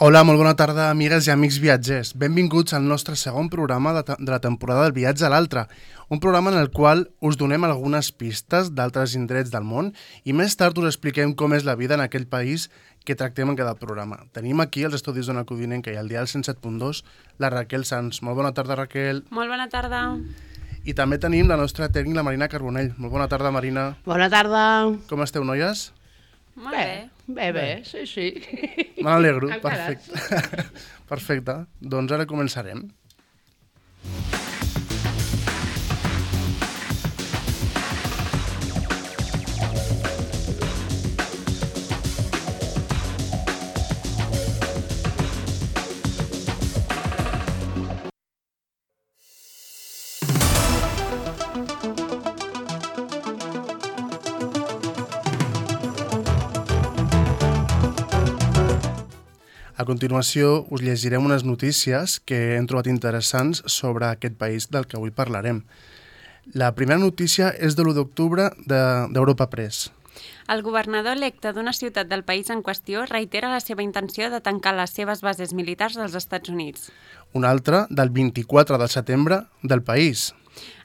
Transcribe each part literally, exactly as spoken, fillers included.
Hola, molt bona tarda, amigues i amics viatgers. Benvinguts al nostre segon programa de, de la temporada del viatge a l'altre, un programa en el qual us donem algunes pistes d'altres indrets del món i més tard us expliquem com és la vida en aquell país que tractem en cada programa. Tenim aquí als estudis d'Ona Codinenca i al dial cent set punt dos la Raquel Sanz. Molt bona tarda, Raquel. Molt bona tarda. I també tenim la nostra tècnica, la Marina Carbonell. Molt bona tarda, Marina. Bona tarda. Com esteu, noies? Molt bé. Bé, bé, bé, sí, sí. Me n'alegro, perfecte. Perfecte, doncs ara començarem. A continuació, us llegirem unes notícies que hem trobat interessants sobre aquest país del que avui parlarem. La primera notícia és de l'u d'octubre d'Europa Press. El governador electe d'una ciutat del país en qüestió reitera la seva intenció de tancar les seves bases militars dels Estats Units. Una altra, del vint-i-quatre de setembre, del país.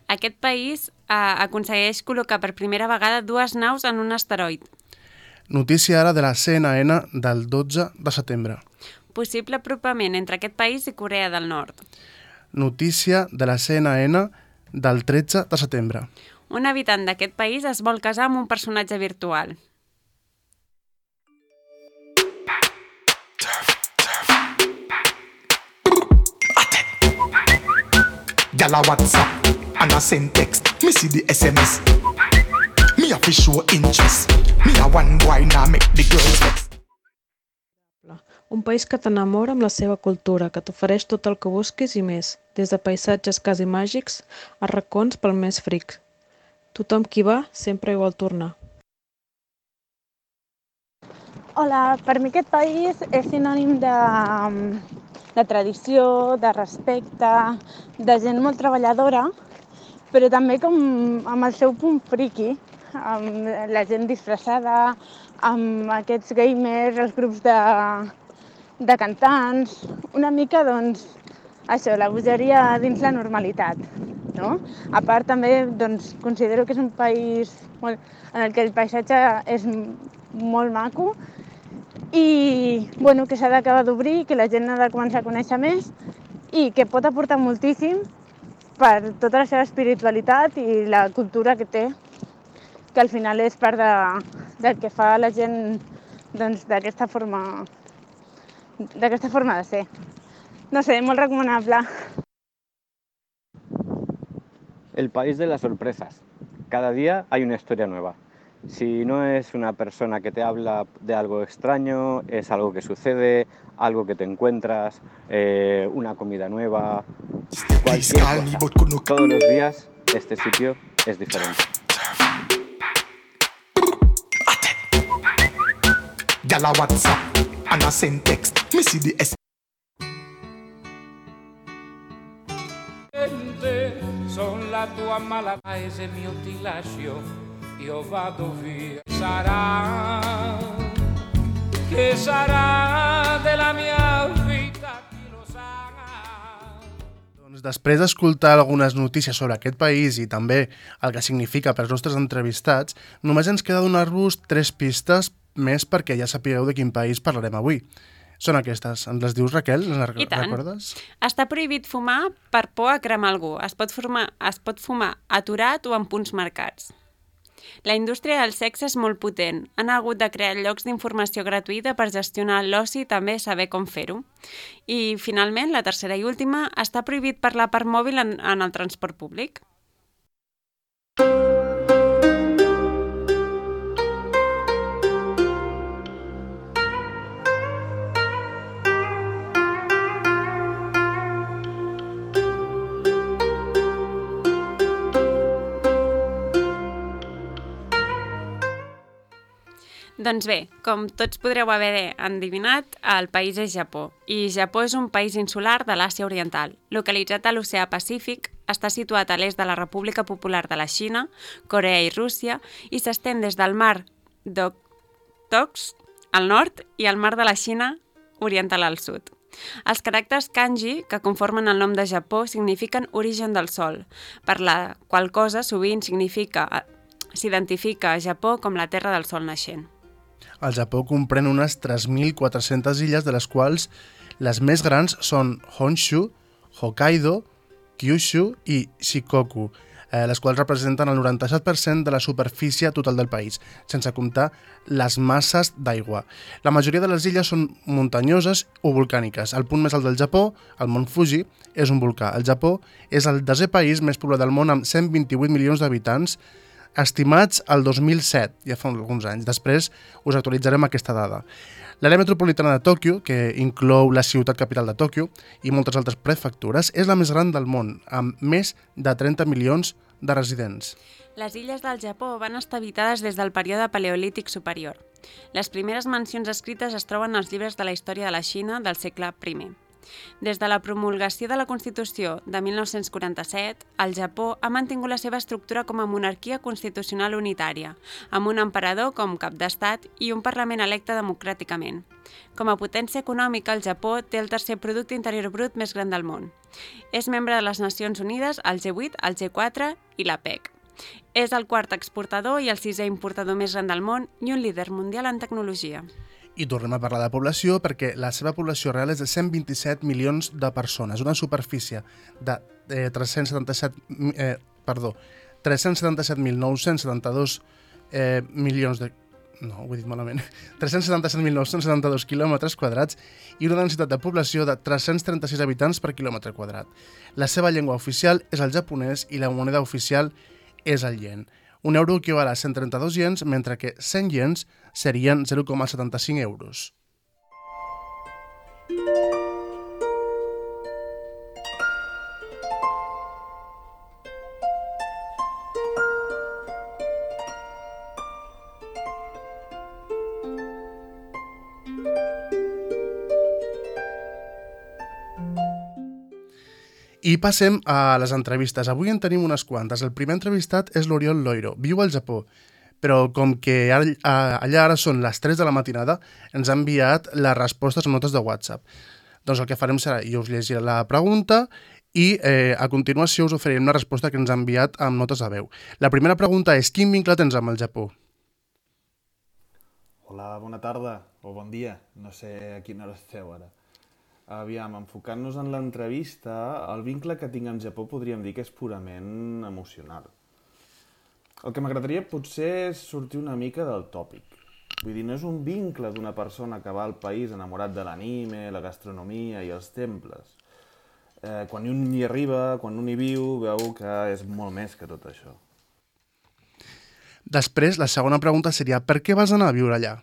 Aquest país eh, aconsegueix col·locar per primera vegada dues naus en un asteroid. Notícia ara de la C N N del dotze de setembre. Possible apropament entre aquest país i Corea del Nord. Notícia de la C N N del tretze de setembre. Un habitant d'aquest país es vol casar amb un personatge virtual. Gyal a WhatsApp and a send text. Me see the S M S. Me a fi show interest. Me a one boy now make the girls vex. Un país que t'enamora amb la seva cultura, que t'ofereix tot el que busquis i més, des de paisatges quasi màgics a racons pel més fric. Tothom qui va sempre hi vol tornar. Hola, per mi aquest país és sinònim de, de tradició, de respecte, de gent molt treballadora, però també com amb el seu punt friqui, amb la gent disfressada, amb aquests gamers, els grups de, de cantants, una mica, doncs, això, la bogeria dins la normalitat, no? A part, també, doncs, considero que és un país molt, en el que el paisatge és molt maco i, bueno, que s'ha d'acabar d'obrir, que la gent ha de començar a conèixer més i que pot aportar moltíssim per tota la seva espiritualitat i la cultura que té, que al final és part de, del que fa la gent doncs, d'aquesta forma, d'aquesta forma de ser. No sé, molt recomanable. El país de las sorpresas. Cada día hay una historia nueva. Si no es una persona que te habla de algo extraño, es algo que sucede, algo que te encuentras, eh, una comida nueva, cualquier cosa. Todos los días este sitio es diferente. Gyal a WhatsApp and a send text. Me see the S. Son la tua mala paese mio ti lascio, io vado via. Sarà, che sarà della mia vita, chi lo sa. Doncs després d'escoltar algunes notícies sobre aquest país i també el que significa per als nostres entrevistats, només ens queda donar-vos tres pistes més perquè ja sapigueu de quin país parlarem avui. Són aquestes. Ens les dius, Raquel? Les I tant. Recordes? Està prohibit fumar per por a cremar algú. Es pot, formar, es pot fumar aturat o en punts marcats. La indústria del sexe és molt potent. Han hagut de crear llocs d'informació gratuïta per gestionar l'oci i també saber com fer-ho. I, finalment, la tercera i última, està prohibit parlar per mòbil en, en el transport públic. Doncs bé, com tots podreu haver endevinat, el país és Japó. I Japó és un país insular de l'Àsia Oriental. Localitzat a l'Oceà Pacífic, està situat a l'est de la República Popular de la Xina, Corea i Rússia, i s'estén des del mar d'Okhotsk al nord i el mar de la Xina oriental al sud. Els caràcters kanji, que conformen el nom de Japó, signifiquen origen del sol, per la qual cosa sovint significa, s'identifica a Japó com la terra del sol naixent. El Japó comprèn unes tres mil quatre-centes illes, de les quals les més grans són Honshu, Hokkaido, Kyushu i Shikoku, eh, les quals representen el noranta-set per cent de la superfície total del país, sense comptar les masses d'aigua. La majoria de les illes són muntanyoses o volcàniques. El punt més alt del Japó, el Mont Fuji, és un volcà. El Japó és el desè país més poblat del món amb cent vint-i-vuit milions d'habitants, estimats al dos mil set, ja fa alguns anys. Després us actualitzarem aquesta dada. L'àrea metropolitana de Tòquio, que inclou la ciutat capital de Tòquio i moltes altres prefectures, és la més gran del món, amb més de trenta milions de residents. Les illes del Japó van estar habitades des del període paleolític superior. Les primeres mencions escrites es troben als llibres de la història de la Xina del segle primer. Des de la promulgació de la Constitució de mil nou-cents quaranta-set, el Japó ha mantingut la seva estructura com a monarquia constitucional unitària, amb un emperador com cap d'estat i un parlament electe democràticament. Com a potència econòmica, el Japó té el tercer producte interior brut més gran del món. És membre de les Nacions Unides, el G vuit, el G quatre i la P E C. És el quart exportador i el sisè importador més gran del món i un líder mundial en tecnologia. I tornem a parlar de població perquè la seva població real és de cent vint-i-set milions de persones, una superfície de eh, tres-cents setanta-set, eh, perdó, tres-cents setanta-set mil nou-cents setanta-dos eh, milions de... No, ho he dit malament. tres-cents setanta-set mil nou-cents setanta-dos quilòmetres quadrats i una densitat de població de tres-cents trenta-sis habitants per quilòmetre quadrat. La seva llengua oficial és el japonès i la moneda oficial és el yen. Un euro equival a cent trenta-dos iens, mentre que cent iens serien zero coma setanta-cinc euros. I passem a les entrevistes. Avui en tenim unes quantes. El primer entrevistat és l'Oriol Loiro. Viu al Japó, però com que allà ara són les tres de la matinada, ens ha enviat les respostes en notes de WhatsApp. Doncs el que farem serà, jo us llegiré la pregunta i eh, a continuació us oferirem una resposta que ens ha enviat amb notes de veu. La primera pregunta és: quin vincle tens amb el Japó? Hola, bona tarda o bon dia. No sé a quina hora esteu ara. Aviam, enfocant-nos en l'entrevista, el vincle que tinc amb Japó podríem dir que és purament emocional. El que m'agradaria potser és sortir una mica del tòpic. Vull dir, no és un vincle d'una persona que va al país enamorat de l'anime, la gastronomia i els temples. Eh, quan un hi arriba, quan un hi viu, veu que és molt més que tot això. Després, la segona pregunta seria: per què vas anar a viure allà?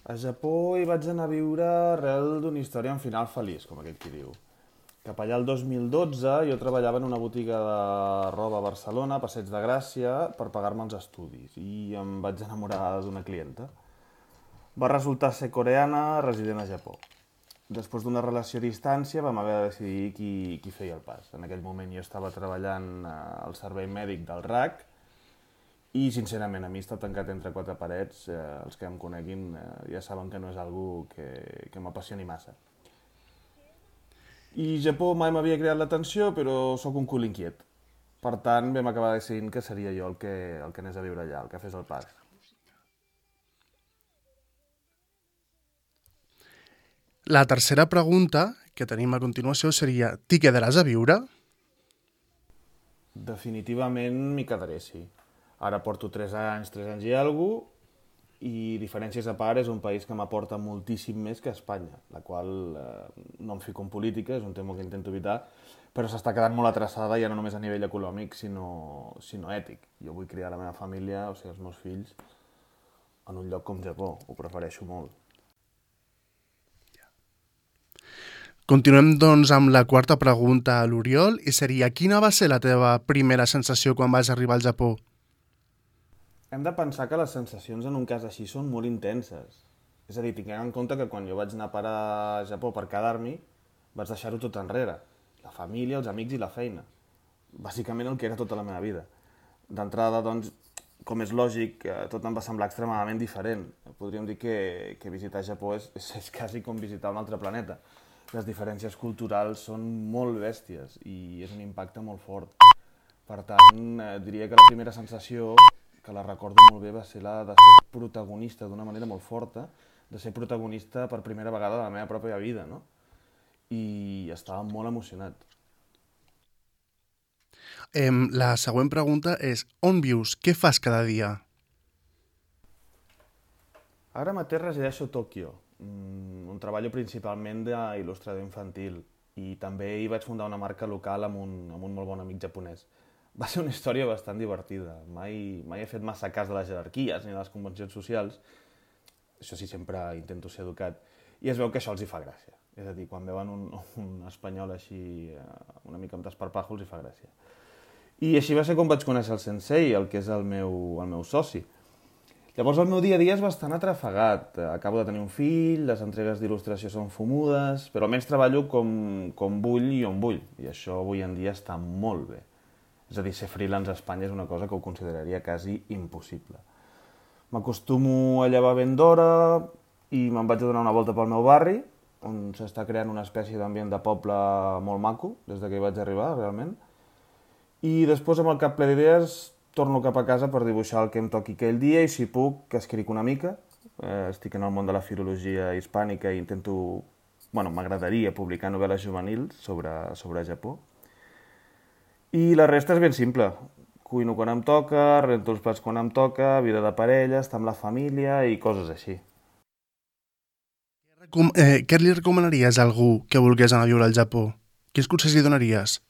A Japó hi vaig anar a viure arrel d'una història amb final feliç, com aquell qui diu. Cap allà el dos mil dotze jo treballava en una botiga de roba a Barcelona, a Passeig de Gràcia, per pagar-me els estudis, i em vaig enamorar d'una clienta. Va resultar ser coreana, resident a Japó. Després d'una relació a distància vam haver de decidir qui, qui feia el pas. En aquell moment jo estava treballant al servei mèdic del R A C, i, sincerament, a mi estar tancat entre quatre parets, eh, els que em coneguin eh, ja saben que no és algo que, que m'apassioni massa. I Japó mai m'havia creat l'atenció, però sóc un cul inquiet. Per tant, vam acabar decidint que seria jo el que, el que anés a viure allà, el que fes el pas. La tercera pregunta que tenim a continuació seria: t'hi quedaràs a viure? Definitivament m'hi quedaré, sí. Ara porto tres anys, tres anys i alguna cosa, i diferències a part és un país que m'aporta moltíssim més que Espanya, la qual eh, no em fico en política, és un tema que intento evitar, però s'està quedant molt atrasada ja no només a nivell econòmic, sinó, sinó ètic. Jo vull criar la meva família, o sigui, els meus fills, en un lloc com Japó, ho prefereixo molt. Continuem, doncs, amb la quarta pregunta a l'Oriol, i seria: quina va ser la teva primera sensació quan vas arribar al Japó? Hem de pensar que les sensacions en un cas així són molt intenses. És a dir, tinguem en compte que quan jo vaig anar a parar a Japó per quedar-m'hi, vaig deixar-ho tot enrere. La família, els amics i la feina. Bàsicament el que era tota la meva vida. D'entrada, doncs, com és lògic, tot em va semblar extremadament diferent. podríem dir que, que visitar Japó és, és, és quasi com visitar un altre planeta. Les diferències culturals són molt bèsties i és un impacte molt fort. Per tant, eh, diria que la primera sensació, que la recordo molt bé, va ser la de ser protagonista d'una manera molt forta, de ser protagonista per primera vegada de la meva pròpia vida, no? I estava molt emocionat. Eh, la següent pregunta és, on vius? Què fas cada dia? Ara mateix resideixo a Tòquio, on treballo principalment d'il·lustrador infantil i també hi vaig fundar una marca local amb un, amb un molt bon amic japonès. Va ser una història bastant divertida. Mai, mai he fet massa cas de les jerarquies ni de les convencions socials. Això sí, sempre intento ser educat. I es veu que això els hi fa gràcia. És a dir, quan veuen un, un espanyol així una mica amb desparpajo els hi fa gràcia. I així va ser com vaig conèixer el sensei, el que és el meu, el meu soci. Llavors el meu dia a dia és bastant atrafegat. Acabo de tenir un fill, les entregues d'il·lustració són fumudes, però almenys treballo com, com vull i on vull. I això avui en dia està molt bé. És a dir, ser freelance a Espanya és una cosa que ho consideraria quasi impossible. M'acostumo a llevar ben d'hora i me'n vaig a donar una volta pel meu barri, on s'està creant una espècie d'ambient de poble molt maco, des que hi vaig arribar, realment. I després, amb el cap ple d'idees, torno cap a casa per dibuixar el que em toqui aquell dia i, si puc, que escric una mica. Eh, estic en el món de la filologia hispànica i intento... Bueno, m'agradaria publicar novel·les juvenils sobre, sobre Japó. I la resta és ben simple. Cuino quan em toca, rento els plats quan em toca, vida de parella, estar amb la família i coses així. Com, eh, què li recomanaries a algú que volgués anar a viure al Japó? Quins consells li donaries?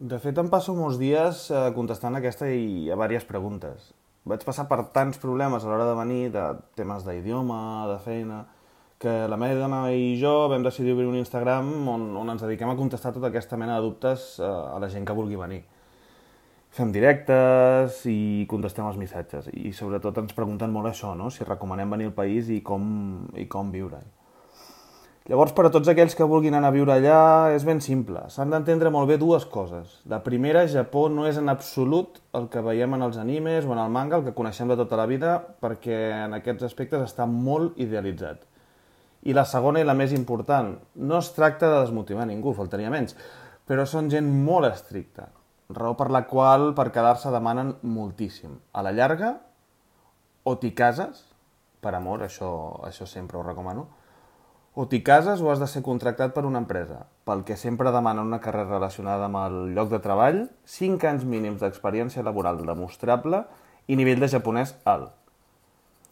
De fet, em passo molts dies eh, contestant aquesta i a diverses preguntes. Vaig passar per tants problemes a l'hora de venir, de temes d'idioma, de feina, que la meva dona i jo vam decidir obrir un Instagram on, on ens dediquem a contestar tota aquesta mena de dubtes eh, a la gent que vulgui venir. Fem directes i contestem els missatges. I sobretot ens pregunten molt això, no? Si recomanem venir al país i com, i com viure-hi. Llavors, per a tots aquells que vulguin anar a viure allà, és ben simple. S'han d'entendre molt bé dues coses. La primera, Japó no és en absolut el que veiem en els animes o en el manga, el que coneixem de tota la vida, perquè en aquests aspectes està molt idealitzat. I la segona i la més important, no es tracta de desmotivar ningú, faltaria menys, però són gent molt estricta, raó per la qual per quedar-se demanen moltíssim. A la llarga, o t'hi cases, per amor, això, això sempre ho recomano, o t'hi cases o has de ser contractat per una empresa, pel que sempre demanen una carrera relacionada amb el lloc de treball, cinc anys mínims d'experiència laboral demostrable i nivell de japonès alt.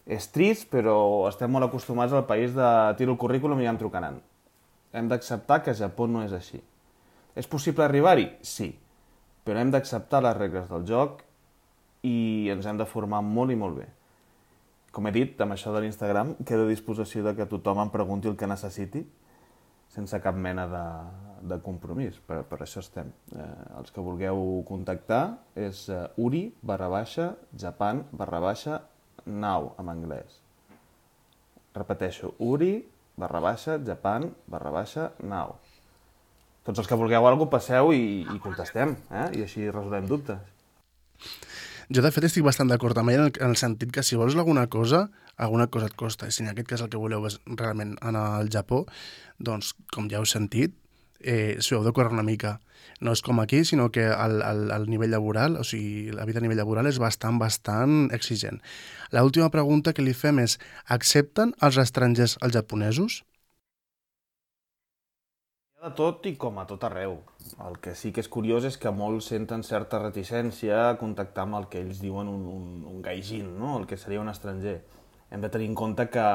És trist, però estem molt acostumats al país de tiro el currículum i ja em trucaran. Hem d'acceptar que Japó no és així. És possible arribar-hi? Sí, però hem d'acceptar les regles del joc i ens hem de formar molt i molt bé. Com he dit, amb això de l'Instagram, quedo a disposició de que tothom em pregunti el que necessiti, sense cap mena de, de compromís. Per, per això estem. Eh, els que vulgueu contactar és eh, uri barra baixa japan barra baixa now, en anglès. Repeteixo, uri barra baixa japan barra baixa now. Tots els que vulgueu alguna cosa, passeu i, i contestem, eh? I així resolem dubtes. Jo, de fet, estic bastant d'acord amb ell en el sentit que si vols alguna cosa, alguna cosa et costa. I si en aquest cas el que voleu és realment anar al Japó, doncs, com ja heu sentit, eh, s'ho heu de córrer una mica. No és com aquí, sinó que el, el, el nivell laboral, o sigui, la vida a nivell laboral és bastant, bastant exigent. L'última pregunta que li fem és, accepten els estrangers els japonesos? De tot i com a tot arreu. El que sí que és curiós és que molts senten certa reticència a contactar amb el que ells diuen un, un, un gaijin, no? El que seria un estranger. Hem de tenir en compte que,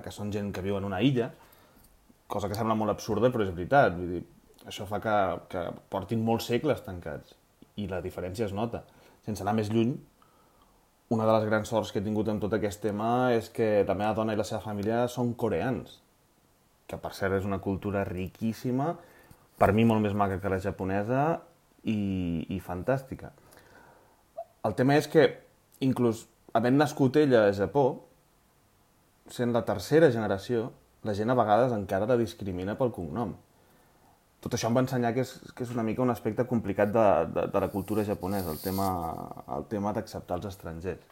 que són gent que viu en una illa, cosa que sembla molt absurda, però és veritat. Vull dir, això fa que, que portin molts segles tancats i la diferència es nota. Sense anar més lluny, una de les grans sorts que he tingut en tot aquest tema és que la meva dona i la seva família són coreans, que per cert és una cultura riquíssima, per mi molt més maca que la japonesa i, i fantàstica. El tema és que, inclús havent nascut ella a Japó, sent la tercera generació, la gent a vegades encara la discrimina pel cognom. Tot això em va ensenyar que és, que és una mica un aspecte complicat de, de, de la cultura japonesa, el tema, el tema d'acceptar els estrangers.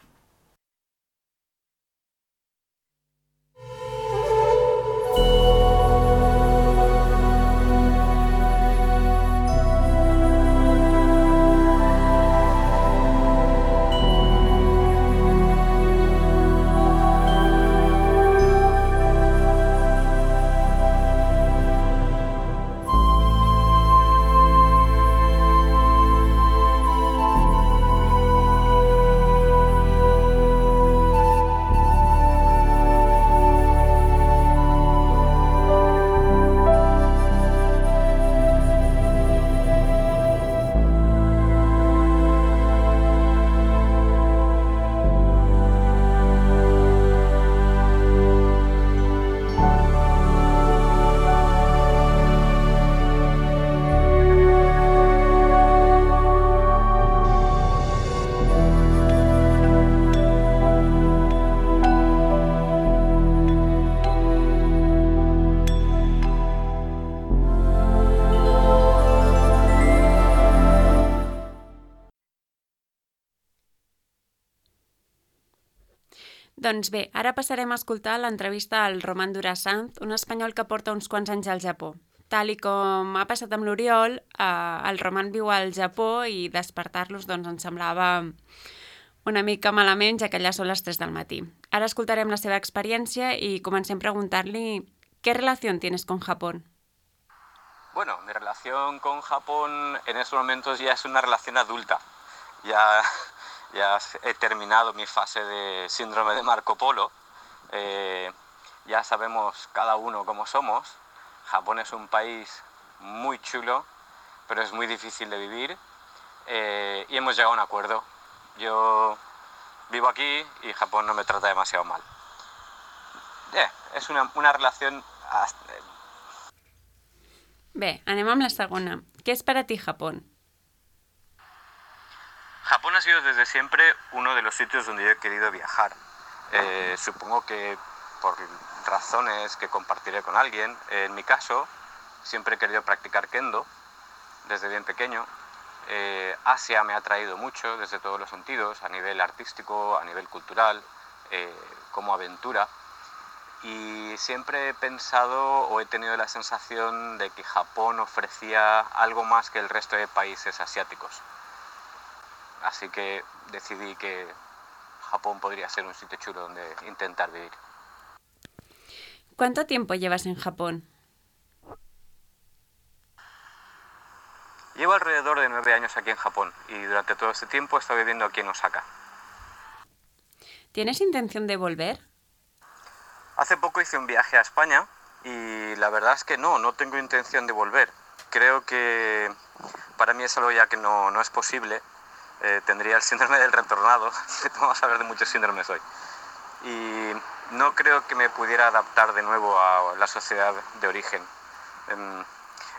Doncs bé, ara passarem a escoltar l'entrevista al Roman Durasanz, un espanyol que porta uns quants anys al Japó. Tal i com ha passat amb l'Oriol, eh, el Roman viu al Japó i despertar-los doncs, ens semblava una mica malament, ja que allà són les tres del matí. Ahora escoltarem la seva experiencia y comencem a preguntarle ¿qué relación tienes con Japón? Bueno, mi relación con Japón en estos momentos ya es una relación adulta. Ya, ya he terminado mi fase de síndrome de Marco Polo. Eh, ya sabemos cada uno cómo somos. Japón es un país muy chulo, pero es muy difícil de vivir. Eh, y hemos llegado a un acuerdo. Yo vivo aquí y Japón no me trata demasiado mal. Yeah, es una, una relación... Bé, anem amb la segona. ¿Qué es para ti Japón? Japón ha sido desde siempre uno de los sitios donde yo he querido viajar. Eh, supongo que por razones que compartiré con alguien. En mi caso, siempre he querido practicar kendo desde bien pequeño. Eh, Asia me ha atraído mucho desde todos los sentidos, a nivel artístico, a nivel cultural, eh, como aventura. Y siempre he pensado o he tenido la sensación de que Japón ofrecía algo más que el resto de países asiáticos. Así que decidí que Japón podría ser un sitio chulo donde intentar vivir. ¿Cuánto tiempo llevas en Japón? Llevo alrededor de nueve años aquí en Japón y durante todo este tiempo he estado viviendo aquí en Osaka. ¿Tienes intención de volver? Hace poco hice un viaje a España y la verdad es que no, no tengo intención de volver. Creo que para mí es algo ya que no, no es posible. Eh, tendría el síndrome del retornado, vamos a hablar de muchos síndromes hoy. Y no creo que me pudiera adaptar de nuevo a la sociedad de origen. Eh,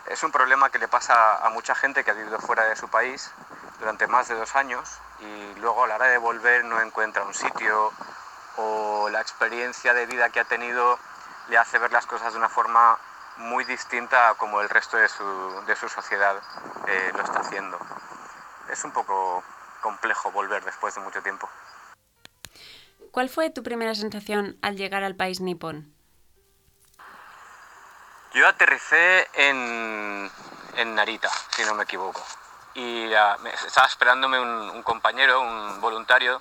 es un problema que le pasa a mucha gente que ha vivido fuera de su país durante más de dos años y luego a la hora de volver no encuentra un sitio o la experiencia de vida que ha tenido le hace ver las cosas de una forma muy distinta a como el resto de su, de su sociedad eh, lo está haciendo. Es un poco complejo volver después de mucho tiempo. ¿Cuál fue tu primera sensación al llegar al país nipón? Yo aterricé en, en Narita, si no me equivoco. Y uh, me, estaba esperándome un, un compañero, un voluntario,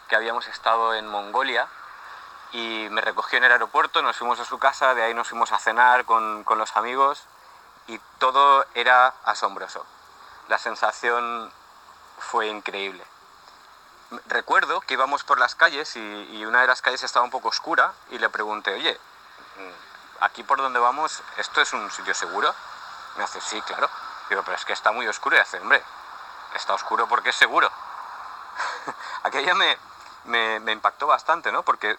que habíamos estado en Mongolia y me recogió en el aeropuerto, nos fuimos a su casa, de ahí nos fuimos a cenar con, con los amigos y todo era asombroso. La sensación fue increíble. Recuerdo que íbamos por las calles y, y una de las calles estaba un poco oscura y le pregunté, oye, aquí por donde vamos, ¿esto es un sitio seguro? Me hace, sí, claro. Digo, pero es que está muy oscuro. Y hace, hombre, está oscuro porque es seguro. Aquello me, me, me impactó bastante, ¿no? Porque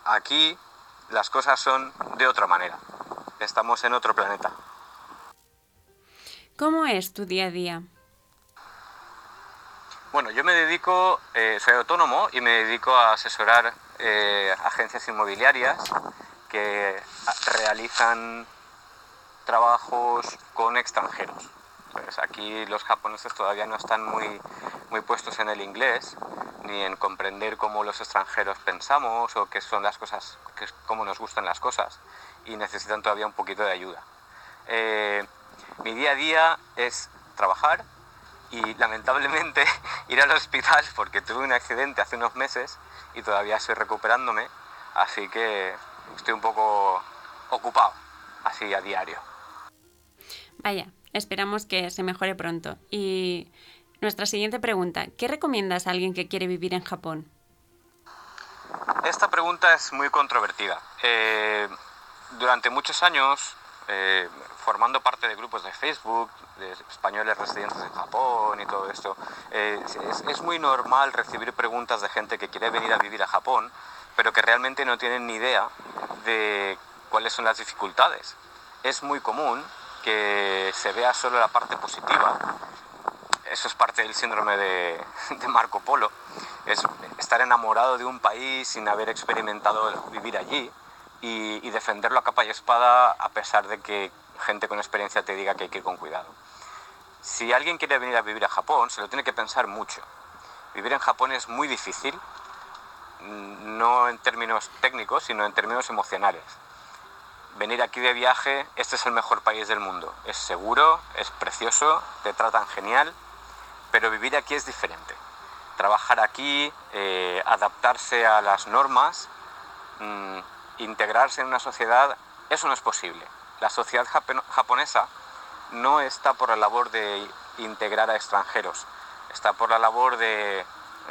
aquí las cosas son de otra manera. Estamos en otro planeta. ¿Cómo es tu día a día? Bueno, yo me dedico, eh, soy autónomo y me dedico a asesorar eh, agencias inmobiliarias que realizan trabajos con extranjeros. Pues aquí los japoneses todavía no están muy, muy puestos en el inglés, ni en comprender cómo los extranjeros pensamos o qué son las cosas, qué, cómo nos gustan las cosas, y necesitan todavía un poquito de ayuda. Eh, mi día a día es trabajar y lamentablemente ir al hospital porque tuve un accidente hace unos meses y todavía estoy recuperándome, así que estoy un poco ocupado, así a diario. Vaya, esperamos que se mejore pronto. Y nuestra siguiente pregunta, ¿qué recomiendas a alguien que quiere vivir en Japón? Esta pregunta es muy controvertida. Eh, durante muchos años, eh, formando parte de grupos de Facebook, de españoles residentes en Japón y todo esto, eh, es, es muy normal recibir preguntas de gente que quiere venir a vivir a Japón, pero que realmente no tienen ni idea de cuáles son las dificultades. Es muy común que se vea solo la parte positiva. Eso es parte del síndrome de, de Marco Polo. Es estar enamorado de un país sin haber experimentado vivir allí y, y defenderlo a capa y espada a pesar de que gente con experiencia te diga que hay que ir con cuidado. Si alguien quiere venir a vivir a Japón, se lo tiene que pensar mucho. Vivir en Japón es muy difícil, no en términos técnicos, sino en términos emocionales. Venir aquí de viaje, este es el mejor país del mundo. Es seguro, es precioso, te tratan genial, pero vivir aquí es diferente. Trabajar aquí, eh, adaptarse a las normas, mmm, integrarse en una sociedad, eso no es posible. La sociedad japonesa no está por la labor de integrar a extranjeros, está por la labor de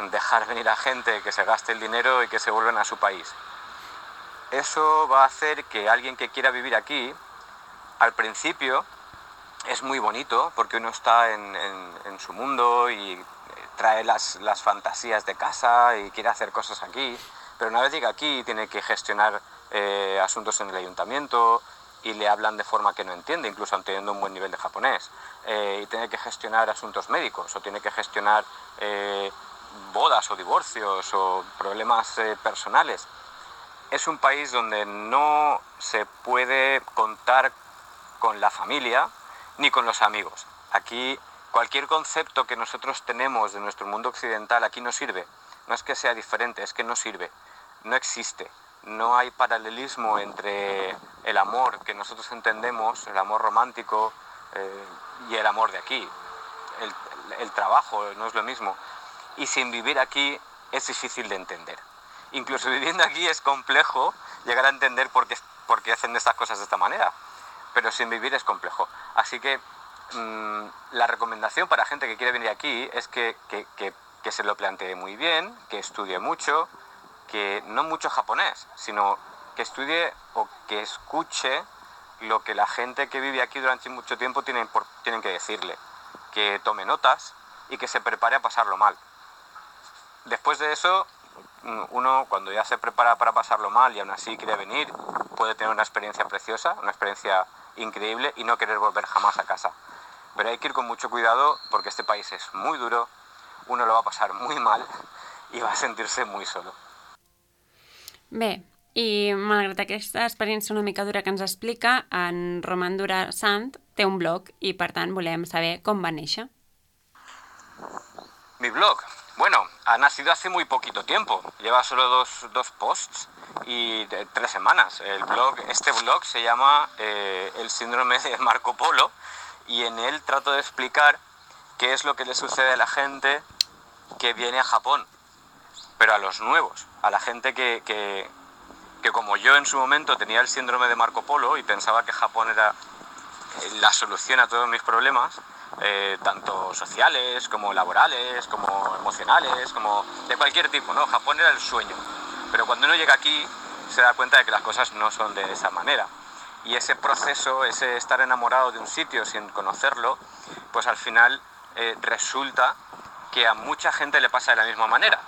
dejar venir a gente que se gaste el dinero y que se vuelvan a su país. Eso va a hacer que alguien que quiera vivir aquí, al principio es muy bonito porque uno está en, en, en su mundo y trae las, las fantasías de casa y quiere hacer cosas aquí, pero una vez llega aquí tiene que gestionar eh, asuntos en el ayuntamiento y le hablan de forma que no entiende, incluso teniendo un buen nivel de japonés, eh, y tiene que gestionar asuntos médicos o tiene que gestionar eh, bodas o divorcios o problemas eh, personales. Es un país donde no se puede contar con la familia ni con los amigos. Aquí cualquier concepto que nosotros tenemos de nuestro mundo occidental aquí no sirve. No es que sea diferente, es que no sirve. No existe. No hay paralelismo entre el amor que nosotros entendemos, el amor romántico eh, y el amor de aquí. El, el trabajo no es lo mismo. Y sin vivir aquí es difícil de entender. Incluso viviendo aquí es complejo llegar a entender por qué, por qué hacen estas cosas de esta manera, pero sin vivir es complejo. Así que mmm, la recomendación para gente que quiere venir aquí es que, que, que, que se lo plantee muy bien, que estudie mucho, que no mucho japonés, sino que estudie o que escuche lo que la gente que vive aquí durante mucho tiempo tienen, por, tienen que decirle, que tome notas y que se prepare a pasarlo mal. Después de eso, uno cuando ya se prepara para pasarlo mal y aún así quiere venir, puede tener una experiencia preciosa, una experiencia increíble y no querer volver jamás a casa. Pero hay que ir con mucho cuidado porque este país es muy duro, uno lo va a pasar muy mal i va sentir-se muy solo. Bé, i malgrat aquesta experiència una mica dura que ens explica, en Roman Durasant té un blog i per tant volem saber com va néixer. Mi blog, bueno, ha nacido hace muy poquito tiempo, lleva solo dos, dos posts y de, tres semanas. El blog, este blog se llama eh, El síndrome de Marco Polo y en él trato de explicar qué es lo que le sucede a la gente que viene a Japón, pero a los nuevos, a la gente que, que, que como yo en su momento tenía el síndrome de Marco Polo y pensaba que Japón era la solución a todos mis problemas, Eh, tanto sociales, como laborales, como emocionales, como de cualquier tipo, ¿no? Japón era el sueño, pero cuando uno llega aquí se da cuenta de que las cosas no son de esa manera y ese proceso, ese estar enamorado de un sitio sin conocerlo, pues al final eh, resulta que a mucha gente le pasa de la misma manera.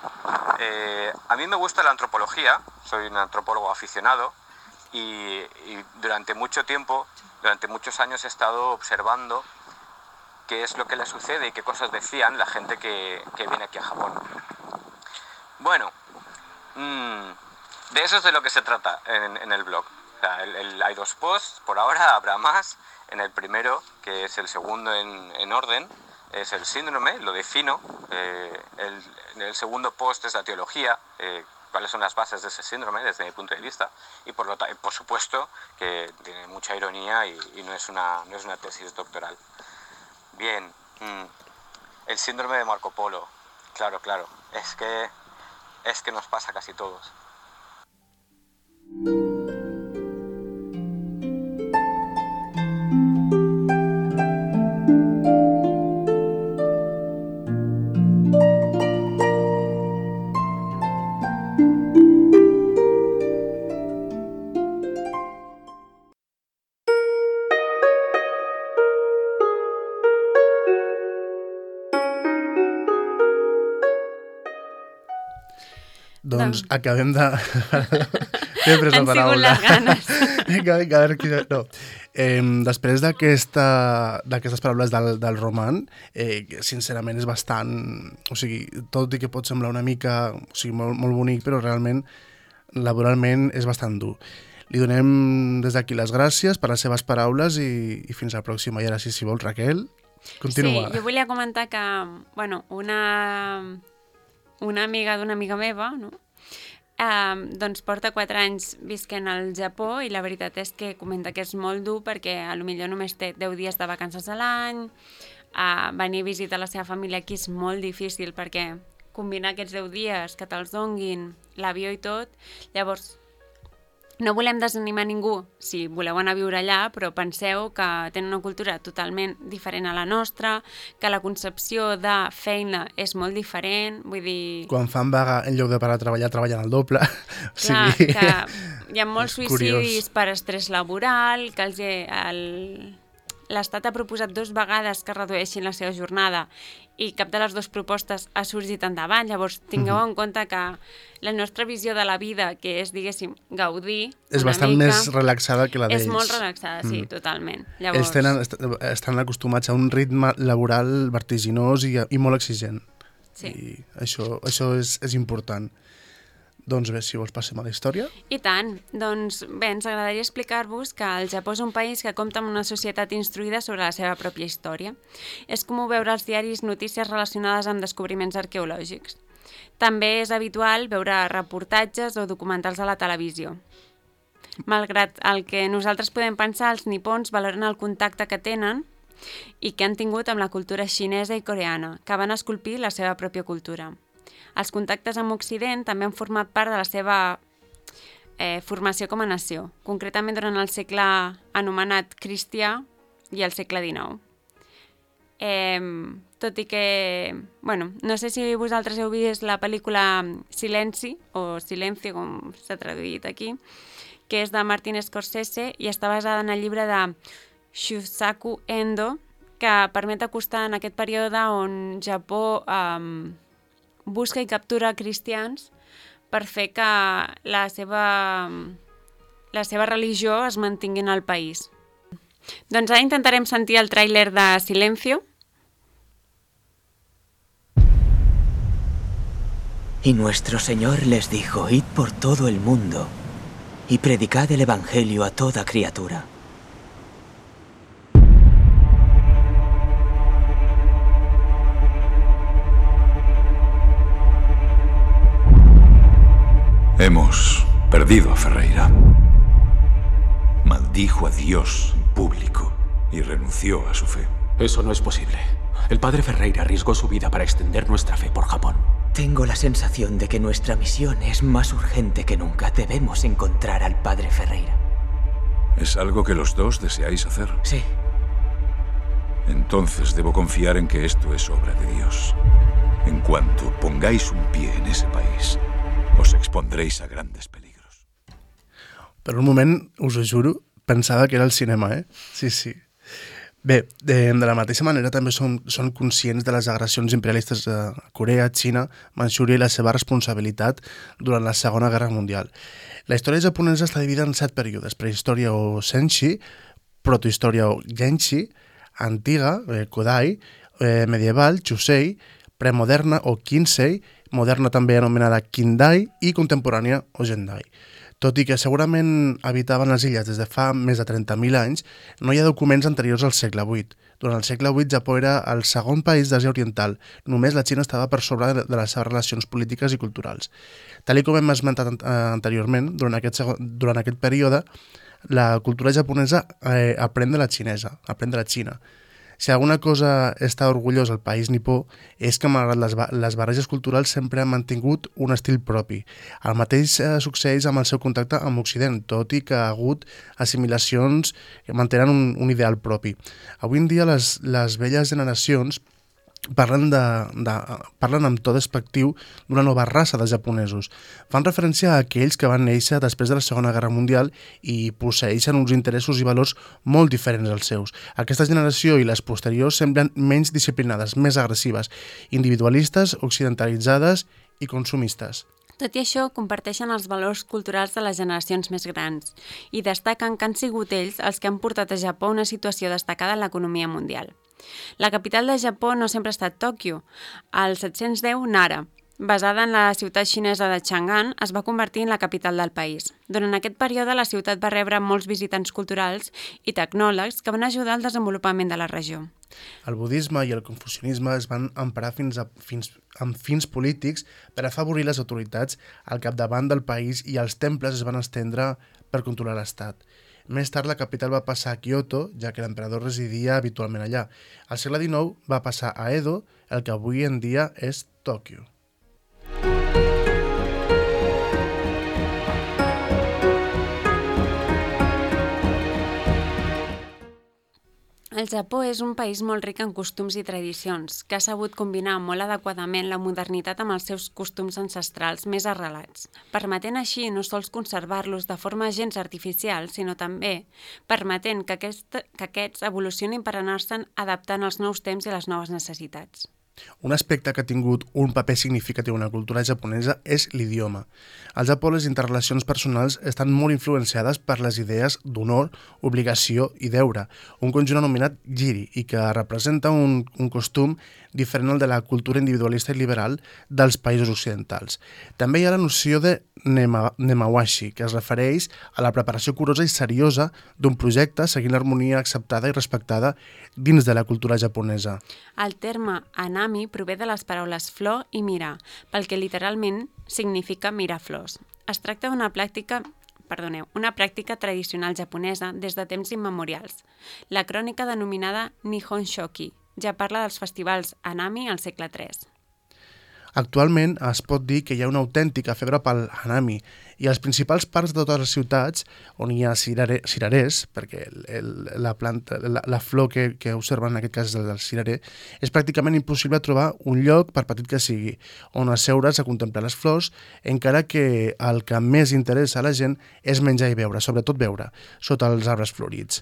Eh, a mí me gusta la antropología, soy un antropólogo aficionado y, y durante mucho tiempo, durante muchos años he estado observando qué es lo que le sucede y qué cosas decían la gente que, que viene aquí a Japón. Bueno, mmm, de eso es de lo que se trata en, en el blog. O sea, el, el, hay dos posts, por ahora habrá más. En el primero, que es el segundo en, en orden, es el síndrome, lo defino. Eh, el, el segundo post es la teología, eh, cuáles son las bases de ese síndrome desde mi punto de vista. Y por, lo por supuesto que tiene mucha ironía y, y no, es una, no es una tesis doctoral. Bien, mm, el síndrome de Marco Polo, claro, claro, es que, es que nos pasa a casi todos. Doncs acabem de... T'he pres la paraula. Han sigut les ganes. Vinga, vinga, a veure qui... No. Eh, després d'aquestes paraules del, del Roman, eh, sincerament és bastant... O sigui, tot i que pot semblar una mica... O sigui, molt, molt bonic, però realment, laboralment, és bastant dur. Li donem des d'aquí les gràcies per les seves paraules i, i fins la pròxima. I ara, si, si vols, Raquel, continua. Sí, jo volia comentar que, bueno, una... una amiga d'una amiga meva, no? eh, doncs porta quatre anys visquent al Japó i la veritat és que comenta que és molt dur perquè potser només té deu dies de vacances a l'any, eh, venir a visitar la seva família aquí és molt difícil perquè combinar aquests deu dies, que te'ls donguin, l'avió i tot, llavors no volem desanimar ningú si voleu anar a viure allà, però penseu que tenen una cultura totalment diferent a la nostra, que la concepció de feina és molt diferent, vull dir... Quan fan vaga, en lloc de parar a treballar, treballen al doble. O Clar, sigui... que hi ha molts és suïcidis curiós. per estrès laboral, que els, el, l'Estat ha proposat dues vegades que redueixin la seva jornada i cap de les dues propostes ha sorgit endavant. Llavors, tingueu Mhm. en compte que la nostra visió de la vida, que és, diguéssim, gaudir És una bastant mica, més relaxada que la d'ells. és molt relaxada, sí, Mm. totalment. Ells Llavors, tenen, est estan acostumats a un ritme laboral vertiginós i, i molt exigent. sí. I això, això és, és important. Doncs bé, si vols passem a la història. I tant. Doncs bé, ens agradaria explicar-vos que el Japó és un país que compta amb una societat instruïda sobre la seva pròpia història. És comú veure als diaris notícies relacionades amb descobriments arqueològics. També és habitual veure reportatges o documentals a la televisió. Malgrat el que nosaltres podem pensar, els nipons valoren el contacte que tenen i que han tingut amb la cultura xinesa i coreana, que van esculpir la seva pròpia cultura. Els contactes amb Occident també han format part de la seva eh, formació com a nació, concretament durant el segle anomenat cristià i el segle dinou. Eh, tot i que, bueno, no sé si vosaltres heu vist la pel·lícula Silenci, o Silencio, com s'ha traduït aquí, que és de Martin Scorsese i està basada en el llibre de Shusaku Endo, que permet acostar en aquest període on Japó eh, busca i captura cristians per fer que la seva, la seva religió es mantingui en el país. Doncs ara intentarem sentir el tràiler de Silencio. Y nuestro Señor les dijo, id por todo el mundo y predicad el Evangelio a toda criatura. Hemos perdido a Ferreira. Maldijo a Dios en público y renunció a su fe. Eso no es posible. El padre Ferreira arriesgó su vida para extender nuestra fe por Japón. Tengo la sensación de que nuestra misión es más urgente que nunca. Debemos encontrar al padre Ferreira. ¿Es algo que los dos deseáis hacer? Sí. Entonces debo confiar en que esto es obra de Dios. En cuanto pongáis un pie en ese país, os expondréis a grandes peligros. Per un moment, us ho juro, pensava que era el cinema, eh? Sí, sí. Bé, de, de la mateixa manera també són, són conscients de les agressions imperialistes a Corea, Xina, Manxúria i la seva responsabilitat durant la Segona Guerra Mundial. La història japonesa està dividida en set períodes: prehistòria o Senshi, protohistòria o Genshi, antiga, eh, Kodai, eh, medieval, Chusei, premoderna o Kinsei, moderna també anomenada Kindai i contemporània o Gendai. Tot i que segurament habitaven les illes des de fa més de trenta mil anys, no hi ha documents anteriors al segle vuit. Durant el segle vuit, Japó era el segon país d'Àsia Oriental. Només la Xina estava per sobre de les seves relacions polítiques i culturals. Tal com hem esmentat anteriorment, durant aquest, segon, durant aquest període, la cultura japonesa eh, aprèn de la xinesa, aprèn de la Xina. Si alguna cosa està orgullós el país nipó és que, malgrat les, les barreges culturals, sempre han mantingut un estil propi. El mateix eh, succeeix amb el seu contacte amb Occident, tot i que ha hagut assimilacions que mantenen un, un ideal propi. Avui en dia les, les velles generacions parlen, de, de, parlen amb to despectiu d'una nova raça de japonesos. Fan referència a aquells que van néixer després de la Segona Guerra Mundial i posseeixen uns interessos i valors molt diferents als seus. Aquesta generació i les posteriors semblen menys disciplinades, més agressives, individualistes, occidentalitzades i consumistes. Tot i això, comparteixen els valors culturals de les generacions més grans i destaquen que han sigut ells els que han portat a Japó una situació destacada en l'economia mundial. La capital de Japó no sempre ha estat Tòquio. Al set-cents deu, Nara basada en la ciutat xinesa de Chang'an, es va convertir en la capital del país. Durant aquest període, la ciutat va rebre molts visitants culturals i tecnòlegs que van ajudar al desenvolupament de la regió. El budisme i el confucianisme es van emparar fins a, fins, amb fins polítics per afavorir les autoritats al capdavant del país i els temples es van estendre per controlar l'estat. Més tard, la capital va passar a Kyoto, ja que l'emperador residia habitualment allà. Al segle dinou va passar a Edo, el que avui en dia és Tòquio. El Japó és un país molt ric en costums i tradicions, que ha sabut combinar molt adequadament la modernitat amb els seus costums ancestrals més arrelats, permetent així no sols conservar-los de forma gens artificial, sinó també permetent que, aquest, que aquests evolucionin per anar-se'n adaptant als nous temps i les noves necessitats. Un aspecte que ha tingut un paper significatiu en la cultura japonesa és l'idioma. Al Japó, les interrelacions personals estan molt influenciades per les idees d'honor, obligació i deure, un conjunt anomenat jiri, i que representa un, un costum diferent al de la cultura individualista i liberal dels països occidentals. També hi ha la noció de nema, nemawashi, que es refereix a la preparació curosa i seriosa d'un projecte seguint l'harmonia acceptada i respectada dins de la cultura japonesa. El terme anami prové de les paraules flor i mirar, pel que literalment significa mirar flors. Es tracta d'una pràctica Perdoneu, una pràctica tradicional japonesa des de temps immemorials. La crònica denominada Nihon Shoki ja parla dels festivals Hanami al segle tres. Actualment es pot dir que hi ha una autèntica febre pel Hanami i als principals parcs de totes les ciutats on hi ha cirare, cirerers, perquè el, el, la, planta, la, la flor que, que observen en aquest cas és el del cirerer, és pràcticament impossible trobar un lloc, per petit que sigui, on asseure's a contemplar les flors, encara que el que més interessa a la gent és menjar i beure, sobretot beure, sota els arbres florits.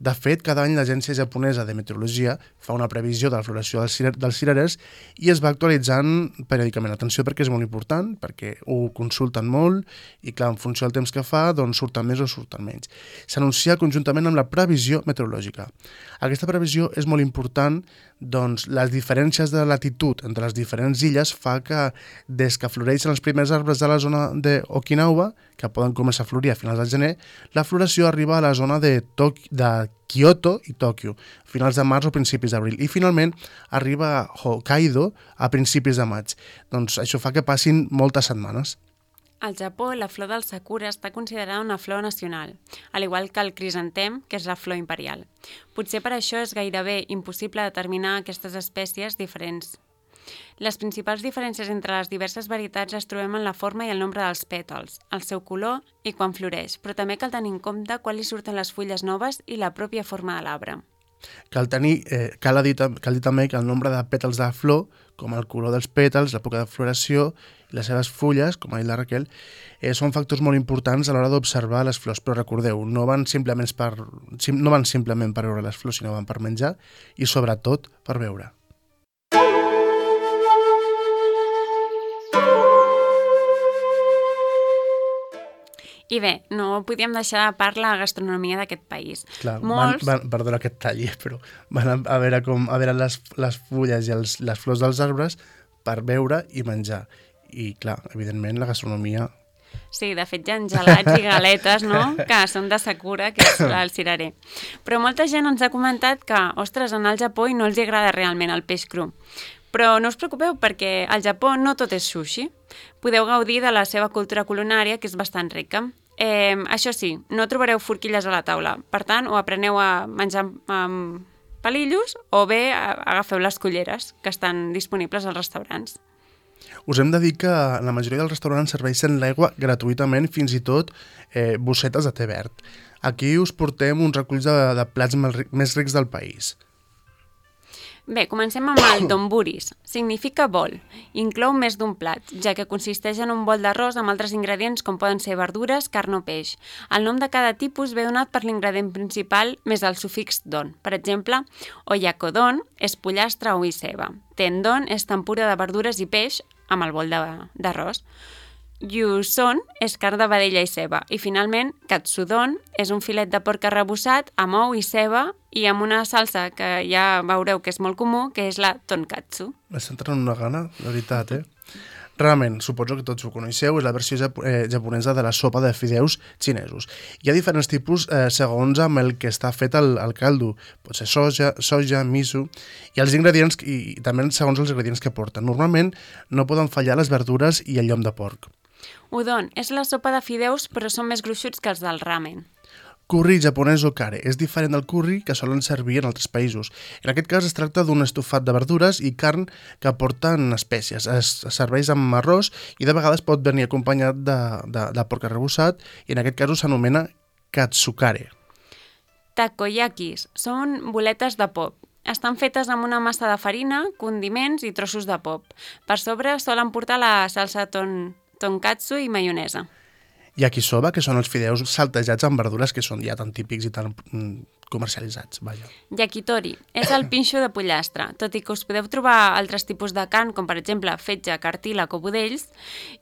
De fet, cada any l'Agència Japonesa de Meteorologia fa una previsió de la floració dels, cirer, dels cirerers i es va actualitzant periòdicament. Atenció, perquè és molt important, perquè ho consulten molt i, clar, en funció del temps que fa, doncs surten més o surten menys. S'anuncia conjuntament amb la previsió meteorològica. Aquesta previsió és molt important, doncs les diferències de latitud entre les diferents illes fa que des que floreixen els primers arbres de la zona d'Okinawa, que poden començar a florir a finals del gener, la floració arriba a la zona de, Tok de Kyoto i Tòquio, a finals de març o principis d'abril, i finalment arriba a Hokkaido a principis de maig. Doncs això fa que passin moltes setmanes. Al Japó, la flor del sakura està considerada una flor nacional, al igual que el crisantem, que és la flor imperial. Potser per això és gairebé impossible determinar aquestes espècies diferents. Les principals diferències entre les diverses varietats les trobem en la forma i el nombre dels pètals, el seu color i quan floreix, però també cal tenir en compte quan li surten les fulles noves i la pròpia forma de l'arbre. Cal, tenir, eh, cal, dir, cal dir també que el nombre de pètals de flor, com el color dels pètals, l'època de floració i les seves fulles, com ha dit la Raquel, eh, són factors molt importants a l'hora d'observar les flors. Però recordeu, no van, simplement per, no van simplement per veure les flors, sinó van per menjar i sobretot per veure. I bé, no podíem deixar de parlar la gastronomia d'aquest país. Clar, Molts... van, van, perdona que et talli, però van a, a veure, com, a veure les, les fulles i els, les flors dels arbres per veure i menjar. I clar, evidentment, la gastronomia... Sí, de fet hi ha gelats i galetes, no?, que són de sakura, que és el cirerer. Però molta gent ens ha comentat que, ostres, anar al Japó i no els agrada realment el peix cru. Però no us preocupeu, perquè al Japó no tot és sushi. Podeu gaudir de la seva cultura culinària, que és bastant rica. Eh, això sí, no trobareu forquilles a la taula. Per tant, o apreneu a menjar amb palillos o bé agafeu les culleres que estan disponibles als restaurants. Us hem de dir que la majoria dels restaurants serveixen l'aigua gratuïtament, fins i tot eh, bossetes de te verd. Aquí us portem uns reculls de, de plats més rics del país. Bé, comencem amb el donburis. Significa bol. Inclou més d'un plat, ja que consisteix en un bol d'arròs amb altres ingredients com poden ser verdures, carn o peix. El nom de cada tipus ve donat per l'ingredient principal més el sufix don. Per exemple, oyakodon és pollastre o i ceba. Tendon és tempura de verdures i peix amb el bol d'arròs. Yuson és carn de vedella i ceba. I finalment, katsudon és un filet de porc arrebossat amb ou i ceba i amb una salsa que ja veureu que és molt comú, que és la tonkatsu. M'està entrant una gana, la veritat, eh? Ramen, suposo que tots ho coneixeu, és la versió jap eh, japonesa de la sopa de fideus xinesos. Hi ha diferents tipus eh, segons amb el que està fet el, el caldo. Pot ser soja, soja, miso, i els ingredients, i, i també segons els ingredients que porten. Normalment no poden fallar les verdures i el llom de porc. Udon és la sopa de fideus, però són més gruixuts que els del ramen. Curri japonès o kare és diferent del curri que solen servir en altres països. En aquest cas es tracta d'un estofat de verdures i carn que porten espècies. Es serveix amb arròs i de vegades pot venir acompanyat de, de, de porc arrebossat i en aquest cas s'anomena katsukare. Takoyakis són boletes de pop. Estan fetes amb una massa de farina, condiments i trossos de pop. Per sobre solen portar la salsa ton, tonkatsu i maionesa. Yakisoba, que són els fideus saltejats amb verdures que són ja tan típics i tan mm, comercialitzats. Vaja. Yakitori és el pinxo de pollastre, tot i que us podeu trobar altres tipus de carn, com per exemple fetge, cartílag o budells,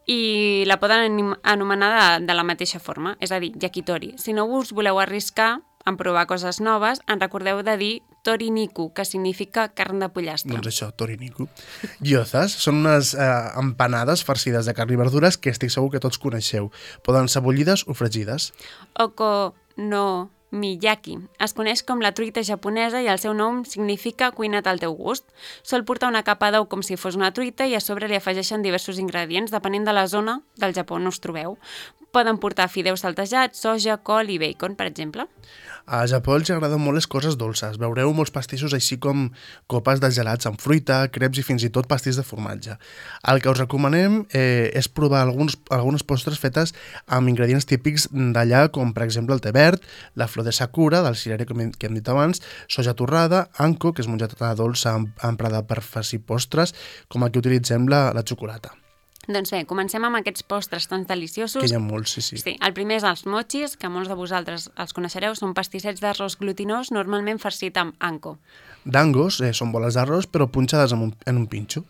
i la poden anomenar de, de la mateixa forma, és a dir, yakitori. Si no us voleu arriscar en provar coses noves, en recordeu de dir toriniku, que significa carn de pollastre. Doncs això, toriniku. Gyozas són unes eh, empanades farcides de carn i verdures que estic segur que tots coneixeu. Poden ser bullides o fregides. Okonomiyaki es coneix com la truita japonesa i el seu nom significa cuina't al teu gust. Sol portar una capa d'ou com si fos una truita i a sobre li afegeixen diversos ingredients depenent de la zona del Japó on us trobeu. Poden portar fideus saltejats, soja, col i bacon, per exemple. A Japó els agraden molt les coses dolces. Veureu molts pastissos així com copes de gelats amb fruita, creps i fins i tot pastís de formatge. El que us recomanem eh, és provar alguns, algunes postres fetes amb ingredients típics d'allà, com per exemple el te verd, la flor de sakura, del cirerer que hem, que hem dit abans, soja torrada, anko, que és mongetada dolça emprada per farcir postres, com el que utilitzem la, la xocolata. Doncs bé, comencem amb aquests postres tan deliciosos. Que hi ha molts, sí, sí. Sí, el primer és els mochis, que molts de vosaltres els coneixereu, són pastissets d'arròs glutinós, normalment farcit amb anko. Dangos eh, són boles d'arròs, però punxades en un, en un pinxo.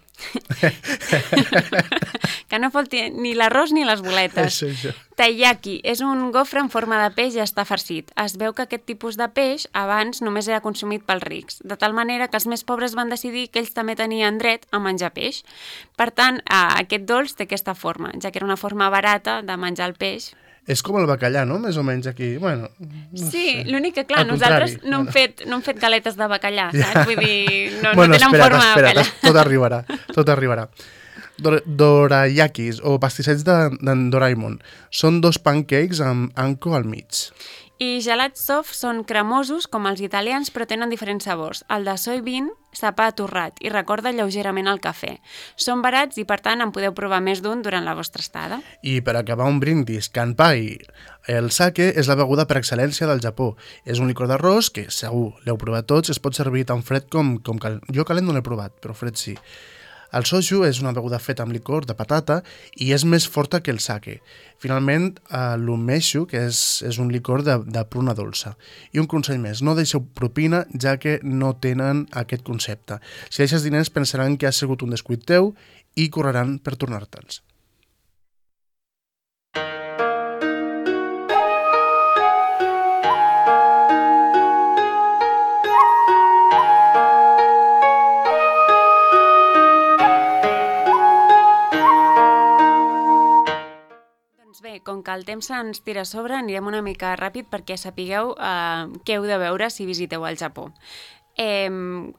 Que no falti ni l'arròs ni les boletes. Això, això. Taiyaki és un gofre en forma de peix i està farcit. Es veu que aquest tipus de peix abans només era consumit pels rics, de tal manera que els més pobres van decidir que ells també tenien dret a menjar peix. Per tant, aquest dolç té aquesta forma, ja que era una forma barata de menjar el peix. És com el bacallà, no? Més o menys aquí. Bueno, no sí, sé. L'únic que, clar, Al nosaltres contrari. no hem, fet, no hem fet galetes de bacallà, saps? Vull dir, no, bueno, no tenen espera't, forma espera't, de bacallà. tot arribarà, tot arribarà. Dor dorayakis, o pastissets d'en de, Doraemon, són dos pancakes amb anko al mig. I gelats soft són cremosos, com els italians, però tenen diferents sabors. El de soybean sap a torrat i recorda lleugerament el cafè. Són barats i, per tant, en podeu provar més d'un durant la vostra estada. I per acabar un brindis, kanpai. El sake és la beguda per excel·lència del Japó. És un licor d'arròs que, segur, l'heu provat tots, es pot servir tan fred com, com cal... Jo calent no l'he provat, però fred sí. El soju és una beguda feta amb licor de patata i és més forta que el sake. Finalment, eh, l'umeshu, que és, és un licor de, de pruna dolça. I un consell més, no deixeu propina, ja que no tenen aquest concepte. Si deixes diners pensaran que ha sigut un descuit teu i correran per tornar-te'ls. Bé, com que el temps ens tira a sobre, anirem una mica ràpid perquè sapigueu eh, què heu de veure si visiteu el Japó. Eh,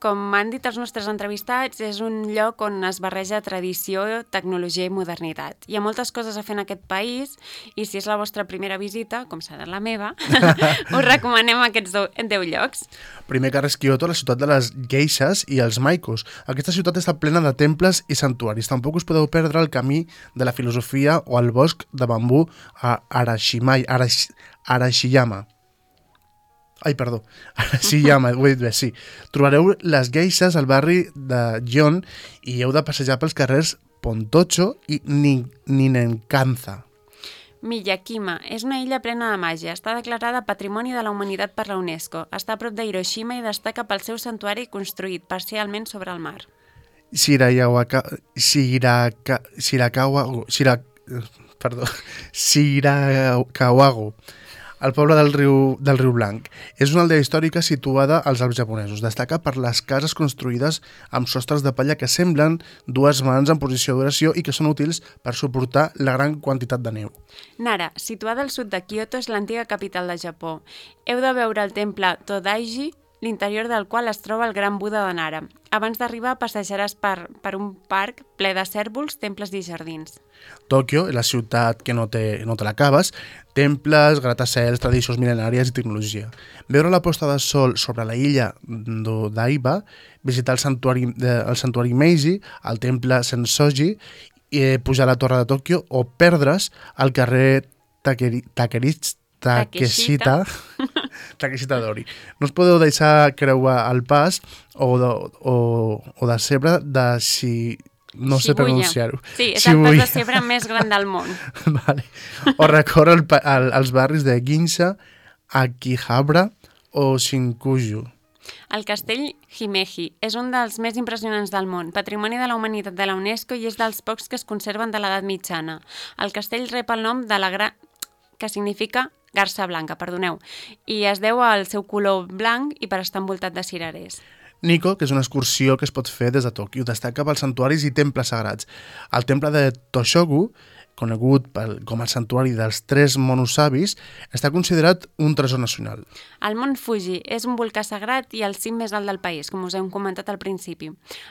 com han dit els nostres entrevistats, és un lloc on es barreja tradició, tecnologia i modernitat. Hi ha moltes coses a fer en aquest país i si és la vostra primera visita, com serà la meva, us recomanem aquests deu llocs. Primer que res, Kyoto, la ciutat de les geishas i els maikos. Aquesta ciutat està plena de temples i santuaris. Tampoc us podeu perdre el camí de la filosofia o el bosc de bambú a Arashimai, Arash, Arashiyama. Ai, perdó, Arashiyama, ho he dit bé, sí. Trobareu les geishas al barri de Gion i heu de passejar pels carrers Pontocho i Ninenkanza. Miyakima és una illa plena de màgia. Està declarada Patrimoni de la Humanitat per la UNESCO. Està a prop de Hiroshima i destaca pel seu santuari construït parcialment sobre el mar. Shirakawa... Shiraka... Shirakawa... Shirak... Perdó. Shirakawago. el poble del riu, del riu Blanc. És una aldea històrica situada als Alps japonesos. Destaca per les cases construïdes amb sostres de palla que semblen dues mans en posició d'oració i que són útils per suportar la gran quantitat de neu. Nara, situada al sud de Kyoto, és l'antiga capital de Japó. Heu de veure el temple Todaiji, l'interior del qual es troba el gran Buda de Nara. Abans d'arribar passejaràs per, per un parc ple de cèrvols, temples i jardins. Tòquio, la ciutat que no te, no te l'acabes, temples, gratacels, tradicions mil·lenàries i tecnologia. Veure la posta de sol sobre la illa d'Odaiba, visitar el santuari, el santuari Meiji, el temple Sensoji, i pujar a la torre de Tòquio o perdre's al carrer Takeri, Takerichi, Takeshita, Takeshita Dori. No us podeu deixar creuar el pas o de, o, o de cebre de si... no sé pronunciar-ho. Sí, és el pas de cebre més gran del món. Vale. O recórrer el, el, els barris de Ginza, Akihabara o Shinjuku. El castell Himeji és un dels més impressionants del món, patrimoni de la humanitat de la UNESCO i és dels pocs que es conserven de l'edat mitjana. El castell rep el nom de la gra... que significa garça blanca, perdoneu, i es deu al seu color blanc i per estar envoltat de cirerers. Nikko, que és una excursió que es pot fer des de Tòquio, destaca pels santuaris i temples sagrats. El temple de Toshogu, conegut pel, com el santuari dels tres monos savis, està considerat un tresor nacional. El Mont Fuji és un volcà sagrat i el cim més alt del país, com us hem comentat al principi.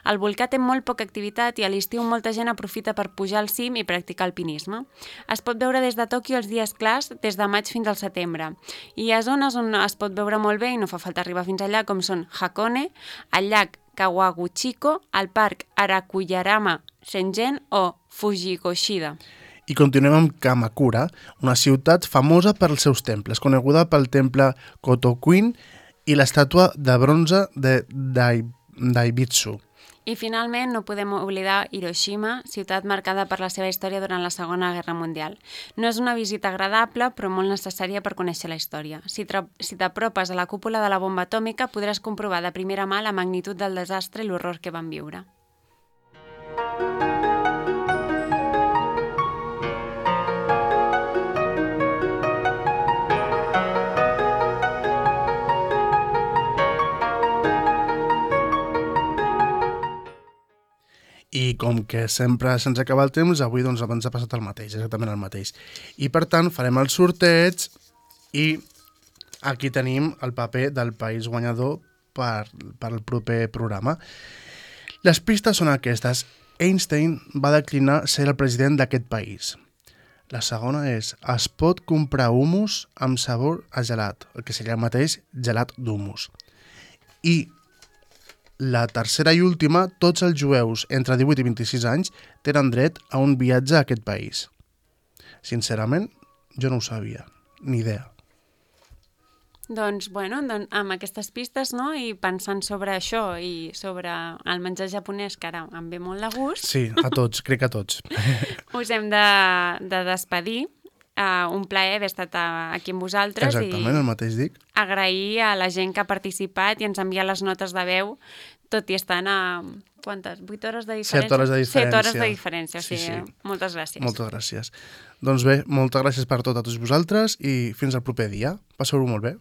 El volcà té molt poca activitat i a l'estiu molta gent aprofita per pujar al cim i practicar alpinisme. Es pot veure des de Tòquio els dies clars, des de maig fins al setembre. I hi ha zones on es pot veure molt bé i no fa falta arribar fins allà, com són Hakone, el llac Kawaguchiko, el parc Arakuyarama Senjen o Fujigoshida. I continuem amb Kamakura, una ciutat famosa pels seus temples, coneguda pel temple Kotokuin i l'estàtua de bronze de Dai, Daibitsu. I finalment no podem oblidar Hiroshima, ciutat marcada per la seva història durant la Segona Guerra Mundial. No és una visita agradable, però molt necessària per conèixer la història. Si t'apropes a la cúpula de la bomba atòmica, podràs comprovar de primera mà la magnitud del desastre i l'horror que van viure. I com que sempre se'ns acaba el temps, avui doncs abans ha passat el mateix, exactament el mateix. I per tant farem el sorteig i aquí tenim el paper del país guanyador per, per al proper programa. Les pistes són aquestes. Einstein va declinar ser el president d'aquest país. La segona és, es pot comprar humus amb sabor a gelat, el que seria el mateix gelat d'humus. I la tercera i última, tots els jueus entre divuit i vint-i-sis anys tenen dret a un viatge a aquest país. Sincerament, jo no ho sabia, ni idea. Doncs, bueno, doncs, amb aquestes pistes, no?, i pensant sobre això i sobre el menjar japonès, que ara em ve molt de gust... Sí, a tots, crec que a tots. Us hem de, de despedir. Uh, un plaer haver estat aquí amb vosaltres. Exactament, el mateix dic. Agrair a la gent que ha participat i ens ha enviat les notes de veu, tot i estant a... quantes? vuit hores de diferència? set hores de diferència. set hores de diferència, o sigui, sí, sí. Moltes gràcies. Moltes gràcies. Doncs bé, moltes gràcies per tot a tots vosaltres i fins al proper dia. Passeu-ho molt bé.